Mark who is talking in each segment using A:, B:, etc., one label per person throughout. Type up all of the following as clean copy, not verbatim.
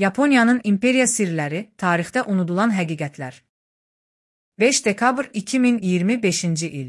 A: Yaponiyanın imperiya sirləri, tarixdə unudulan həqiqətlər. 5 dekabr 2025-ci il.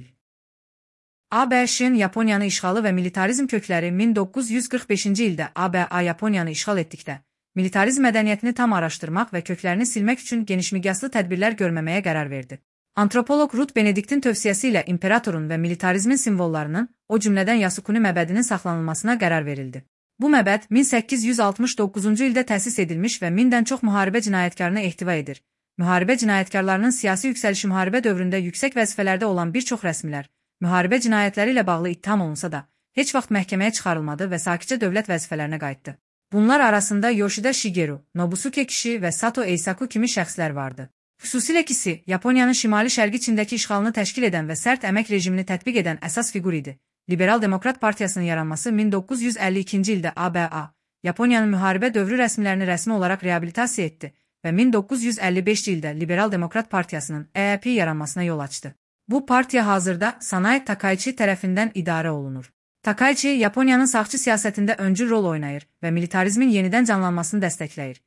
A: ABŞ-ın Yaponiyanı işğalı və militarizm kökləri 1945-ci ildə ABA Yaponiyanı işğal etdikdə, militarizm mədəniyyətini tam araşdırmaq və köklərini silmək üçün genişmiqyaslı tədbirlər görməməyə qərar verdi. Antropoloq Ruth Benedict'in tövsiyəsi ilə imperatorun və militarizmin simvollarının, o cümlədən Yasukuni məbədinin saxlanılmasına qərar verildi. Bu məbəd 1869-cu ildə təsis edilmiş və 1000-dən çox müharibə cinayətkarını ehtiva edir. Müharibə cinayətkarlarının siyasi yüksəlişi müharibə dövründə yüksək vəzifələrdə olan bir çox rəsmilər, müharibə cinayətləri ilə bağlı ittiham olunsa da, heç vaxt məhkəməyə çıxarılmadı və sakitcə dövlət vəzifələrinə qayıtdı. Bunlar arasında Yoshida Shigeru, Nobusuke Kishi və Sato Eisaku kimi şəxslər vardı. Xüsusilə Kishi, Yaponiyanın şimali-şərqi Çindəki işğalını təşkil edən və sərt əmək rejimini tətbiq edən əsas fiqur idi. Liberal Demokrat Partiyasının yaranması 1952-ci ildə ABA, Yaponiyanın müharibə dövrü rəsmilərini rəsmi olaraq reabilitasiya etdi və 1955-ci ildə Liberal Demokrat Partiyasının EAP yaranmasına yol açdı. Bu partiya hazırda Sanae Takaichi tərəfindən idarə olunur. Takaichi, Yaponiyanın sağçı siyasətində öncül rol oynayır və militarizmin yenidən canlanmasını dəstəkləyir.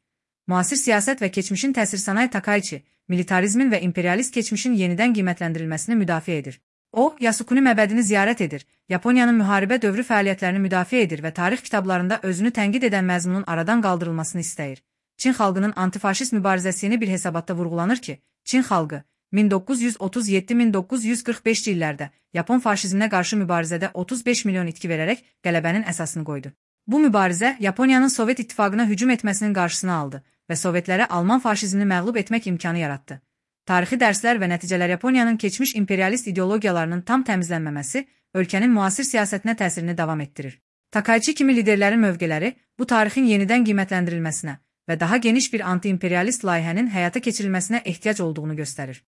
A: Müasir siyasət və keçmişin təsir Sanae Takaichi, militarizmin və imperialist keçmişin yenidən qiymətləndirilməsini müdafiə edir. O, Yasukuni məbədini ziyarət edir, Yaponiyanın müharibə dövrü fəaliyyətlərini müdafiə edir və tarix kitablarında özünü tənqid edən məzmunun aradan qaldırılmasını istəyir. Çin xalqının antifaşist mübarizəsini bir hesabatda vurğulanır ki, Çin xalqı 1937-1945-ci illərdə Yapon faşizminə qarşı mübarizədə 35 milyon itki verərək qələbənin əsasını qoydu. Bu mübarizə Yaponiyanın Sovet İttifaqına hücum etməsinin qarşısını aldı və Sovetlərə Alman faşizmini məğlub etmək imkanı yaratdı. Tarixi dərslər və nəticələr Yaponiyanın keçmiş imperialist ideologiyalarının tam təmizlənməməsi ölkənin müasir siyasətinə təsirini davam etdirir. Takaichi kimi liderlərin mövqeləri bu tarixin yenidən qiymətləndirilməsinə və daha geniş bir anti-imperialist layihənin həyata keçirilməsinə ehtiyac olduğunu göstərir.